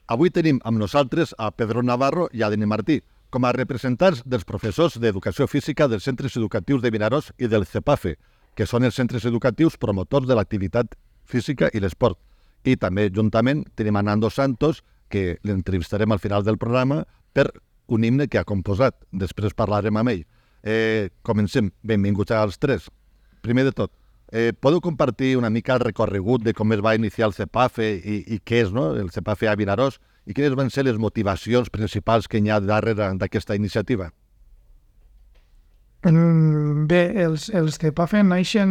Avui tenim amb nosaltres a Pedro Navarro i a Dani Martí, com a representants dels professors d'Educació Física dels centres educatius de Vinaròs i del CEPAFE, que són els centres educatius promotors de l'activitat física i l'esport. I també, juntament, tenim a Nando Santos, que l'entrevistarem al final del programa, per un himne que ha composat. Després parlarem amb ell. Comencem. Benvinguts als tres. Primer de tot, podeu compartir una mica el recorregut de com es va iniciar el CEPAFE i què és, no?, el CEPAFE a Vinaròs, i quines van ser les motivacions principals que hi ha darrere d'aquesta iniciativa? Bé, els CEPAFE naixen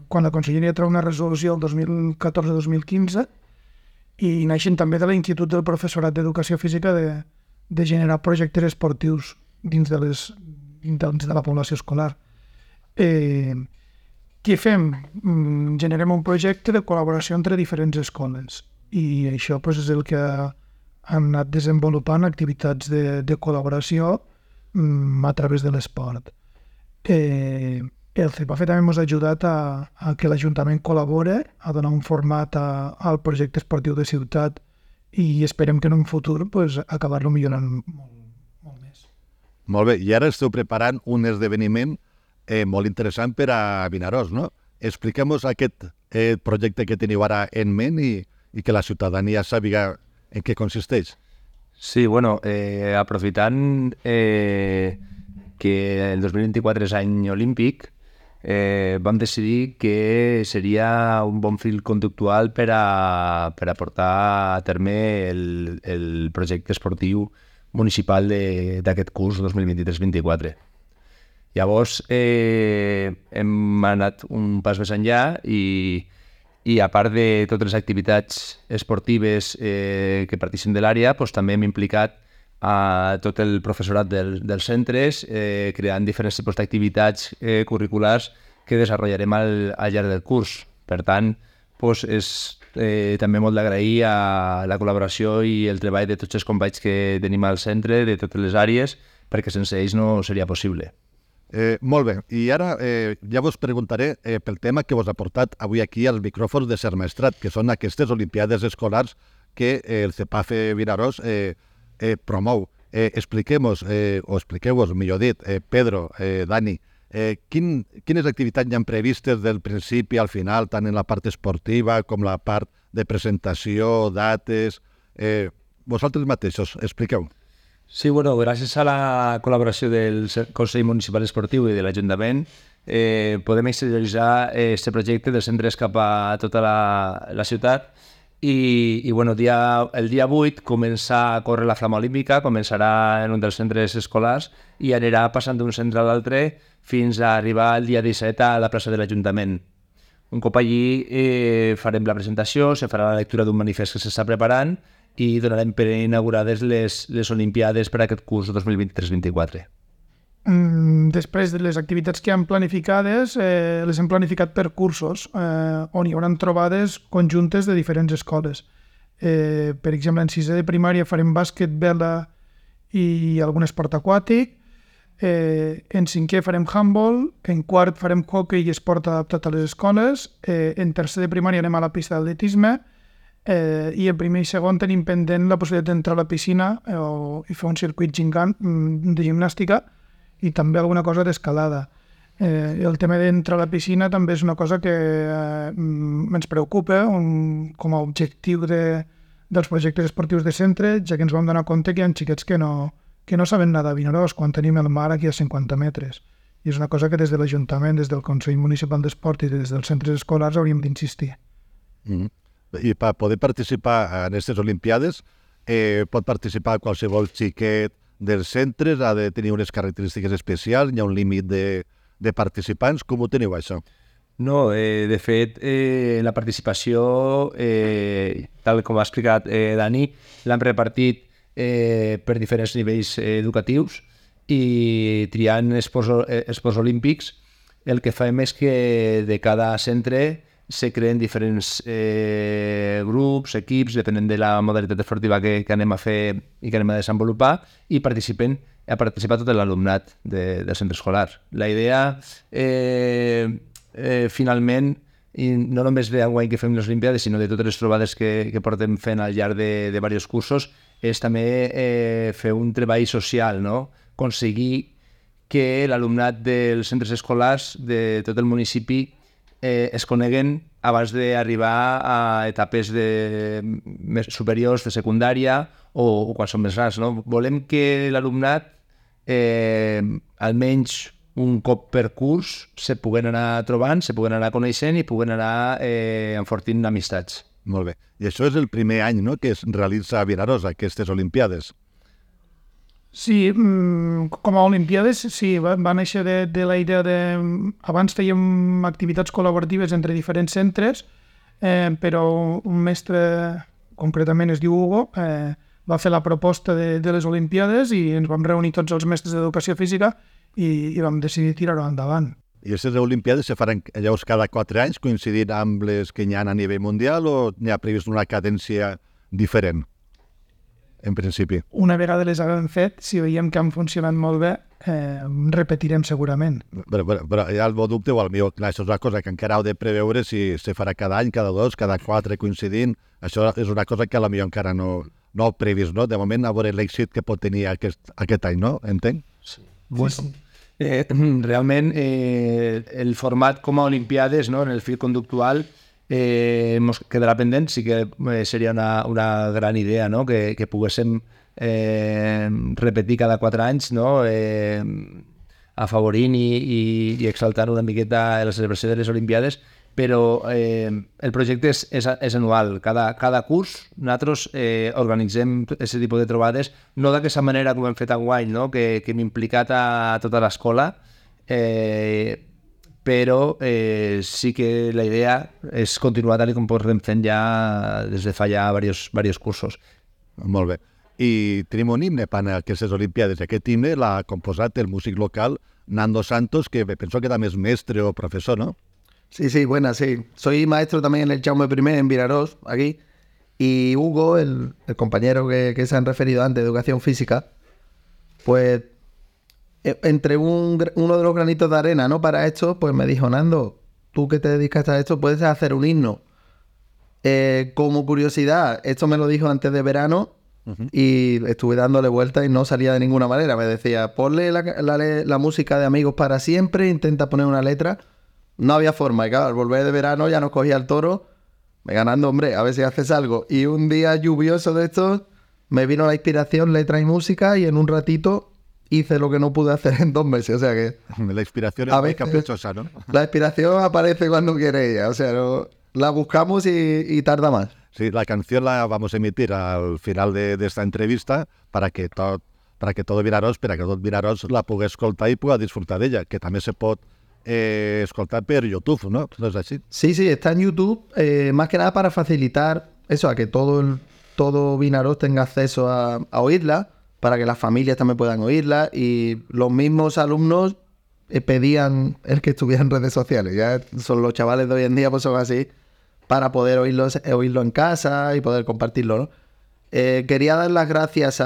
quan la Conselleria treu una resolució el 2014-2015 i naixen també de l'Institut del Professorat d'Educació Física de generar projectes esportius dins de la població escolar. Què fem? Generem un projecte de col·laboració entre diferents escoles i això és el que han anat desenvolupant activitats de col·laboració a través de l'esport. El CEPAFE també ens ha ajudat a que l'Ajuntament col·labore, a donar un format al projecte esportiu de ciutat i esperem que en un futur acabar-lo millorant molt més. Molt bé, i ara esteu preparant un esdeveniment molt interessant per a Vinaròs, no? Expliquem-nos aquest projecte que teniu ara en ment i que la ciutadania sàpiga en què consisteix. Sí, bueno, aprofitant que el 2024 és any olímpic, vam decidir que seria un bon fil conductual per a portar a terme el projecte esportiu municipal d'aquest curs 2023-24. Llavors, hem anat un pas més enllà i a part de totes les activitats esportives que participin de l'àrea, també hem implicat a tot el professorat dels centres, creant diferents tipus d'activitats curriculars que desenvoluparem al llarg del curs. Per tant, és també molt d'agrair a la col·laboració i el treball de tots els companys que tenim al centre, de totes les àrees, perquè sense ells no seria possible. Molt bé, i ara ja vos preguntaré pel tema que vos ha portat avui aquí als micròfons de Ser Maestrat, que són aquestes Olimpiades Escolars que el CEPAFE Vinaròs promou. Expliqueu-vos, millor dit, Pedro, Dani, quines activitats hi ha previstes del principi al final, tant en la part esportiva com la part de presentació, dates... Vosaltres mateixos, expliqueu. Sí, bueno, gràcies a la col·laboració del Consell Municipal Esportiu i de l'Ajuntament podem exterioritzar aquest projecte dels centres cap a tota la ciutat i bueno, el dia 8 comença a córrer la flama olímpica, començarà en un dels centres escolars i anirà passant d'un centre a l'altre fins a arribar el dia 17 a la plaça de l'Ajuntament. Un cop allí farem la presentació, se farà la lectura d'un manifest que s'està preparant i donarem per inaugurades les Olimpiades per a aquest curs 2023-24. Després de les activitats que han planificades, les hem planificat per cursos, on hi haurà trobades conjuntes de diferents escoles. Per exemple, en 6è de primària farem bàsquet, vela i algun esport aquàtic, en 5è farem handball, en 4 farem hoquei i esport adaptat a les escoles, en 3è de primària anem a la pista d'atletisme, i en 1è i 2è tenim pendent la possibilitat d'entrar a la piscina i fer un circuit de gimnàstica i també alguna cosa d'escalada. El tema d'entrar a la piscina també és una cosa que ens preocupa com a objectiu dels projectes esportius de centre, ja que ens vam donar compte que hi ha xiquets que no saben nedar a Vinaròs quan tenim el mar aquí a 50 metres. I és una cosa que des de l'Ajuntament, des del Consell Municipal d'Esport i des dels centres escolars hauríem d'insistir. I per poder participar en aquestes Olimpiades pot participar qualsevol xiquet dels centres, ha de tenir unes característiques especials, hi ha un límit de participants. Com ho teniu, això? No, de fet, la participació, tal com ha explicat Dani, l'han repartit per diferents nivells educatius i triant esports olímpics. El que fem és que de cada centre se creen diferents grups, equips, depenent de la modalitat esportiva que anem a fer i que anem a desenvolupar, i ha participat tot l'alumnat del centre escolar. La idea, finalment, i no només d'enguany que fem les Olimpiades, sinó de totes les trobades que portem fent al llarg de diversos cursos, és també fer un treball social, no? Aconseguir que l'alumnat dels centres escolars de tot el municipi es coneguen abans d'arribar a etapes més superiors de secundària o quan són més grans, no? Volem que l'alumnat almenys un cop per curs se puguen anar trobant, se puguen anar coneixent i puguen anar enfortint amistats. Molt bé. I això és el primer any, no?, que es realitza a Vinaròs, aquestes Olimpiades. Sí, com a Olimpiades, sí, va néixer de la idea de... Abans fèiem activitats col·laboratives entre diferents centres, però un mestre, concretament es diu Hugo, va fer la proposta de les Olimpiades i ens vam reunir tots els mestres d'educació física i vam decidir tirar-ho endavant. I aquestes Olimpiades se faran llavors cada 4 anys, coincidint amb les que hi ha a nivell mundial, o n'hi ha previst una cadència diferent, en principi? Una vegada les haguem fet, si veiem que han funcionat molt bé, repetirem segurament. Però hi ha el meu dubte, o el meu, clar, això és una cosa que encara heu de preveure si se farà cada any, cada 2, cada 4 coincidint. Això és una cosa que potser encara no heu previst, no? De moment, a veure l'èxit que pot tenir aquest any, no? Entenc? Sí. Bueno. Sí. Realment el format com a Olimpiades, no, en el fil conductual ens quedarà pendent. Sí que seria una gran idea, no? que poguéssim repetir cada 4 anys, no? Afavorint i exaltant una miqueta la celebració de les Olimpiades, però el projecte és anual. Cada curs nosaltres organitzem aquest tipus de trobades, no d'aquesta manera com hem fet enguany, no? que hem implicat a tota l'escola, però sí que la idea és continuar tal com portem fent ja des de fa ja diversos cursos. Molt bé. I tenim un himne per a aquestes Olimpiades. Aquest himne l'ha composat el músic local Nando Santos, que penso que també és mestre o professor, ¿no? Sí, buenas, sí. Soy maestro también en el Jaume I en Vinaròs, aquí. Y Hugo, el compañero que se han referido antes, de educación física, pues entre uno de los granitos de arena, ¿no?, para esto, pues me dijo: Nando, tú que te dedicas a esto, puedes hacer un himno. Como curiosidad, esto me lo dijo antes de verano, y estuve dándole vueltas y no salía de ninguna manera. Me decía: ponle la música de Amigos para siempre, intenta poner una letra. No había forma, y claro, al volver de verano ya nos cogía el toro, me ganando, hombre, a ver si haces algo. Y un día lluvioso de estos, me vino la inspiración, letra y música, y en un ratito hice lo que no pude hacer en 2 meses, o sea que... La inspiración es muy caprichosa, ¿no? La inspiración aparece cuando quiere ella, o sea, la buscamos y tarda más. Sí, la canción la vamos a emitir al final de esta entrevista para que tot Vinaròs la pugui escoltar i pugui disfrutar d'ella, que també se pot escoltar per YouTube, ¿no? ¿No es así? Sí, está en YouTube, más que nada para facilitar eso, a que todo Vinaròs tenga acceso a oírla, para que las familias también puedan oírla, y los mismos alumnos pedían el que estuviera en redes sociales. Ya son los chavales de hoy en día, pues son así, para poder oírlo en casa y poder compartirlo, ¿no? Quería dar las gracias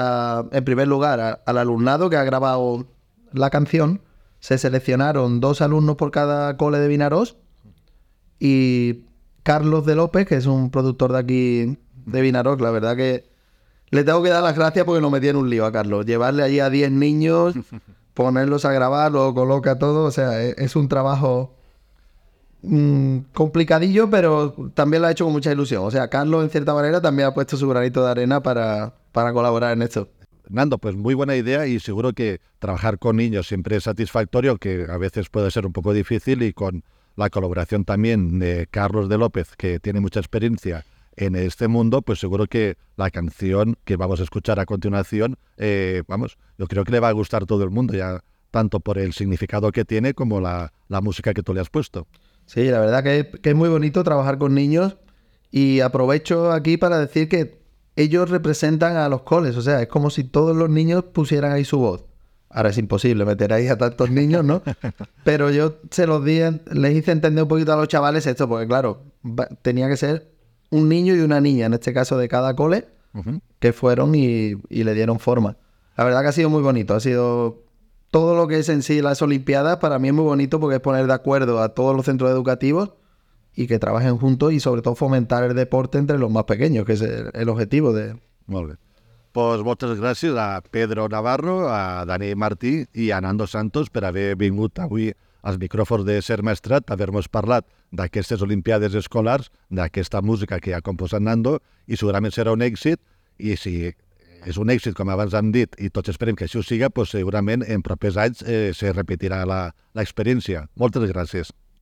en primer lugar al alumnado que ha grabado la canción. Se seleccionaron 2 alumnos por cada cole de Vinaròs, y Carlos de López, que es un productor de aquí de Vinaròs. La verdad que le tengo que dar las gracias porque nos metí en un lío a Carlos. Llevarle allí a 10 niños, ponerlos a grabar, lo coloca todo, o sea, es un trabajo complicadillo, pero también lo ha hecho con mucha ilusión. O sea, Carlos en cierta manera también ha puesto su granito de arena para colaborar en esto. Nando, pues muy buena idea, y seguro que trabajar con niños siempre es satisfactorio, que a veces puede ser un poco difícil, y con la colaboración también de Carlos de López, que tiene mucha experiencia en este mundo, pues seguro que la canción que vamos a escuchar a continuación, yo creo que le va a gustar a todo el mundo, ya tanto por el significado que tiene como la música que tú le has puesto. Sí, la verdad que es muy bonito trabajar con niños, y aprovecho aquí para decir que ellos representan a los coles, o sea, es como si todos los niños pusieran ahí su voz. Ahora es imposible meter ahí a tantos niños, ¿no? Pero yo se los di, les hice entender un poquito a los chavales esto, porque claro, tenía que ser un niño y una niña, en este caso de cada cole, que fueron y le dieron forma. La verdad que ha sido muy bonito, ha sido todo lo que es en sí las Olimpiadas, para mí es muy bonito porque es poner de acuerdo a todos los centros educativos y que trabajen juntos y sobre todo fomentar el deporte entre los más pequeños, que es el objetivo de... Molt bé. Pues moltes gràcies a Pedro Navarro, a Dani Martí i a Nando Santos per haver vingut avui als micròfons de Ser Maestrat, haver-nos parlat d'aquestes Olimpiades escolars, d'aquesta música que ha composat Nando, i segurament serà un èxit, i si és un èxit, com abans hem dit, i tots esperem que així ho siga, pues segurament en propers anys se repetirà l'experiència. Moltes gràcies.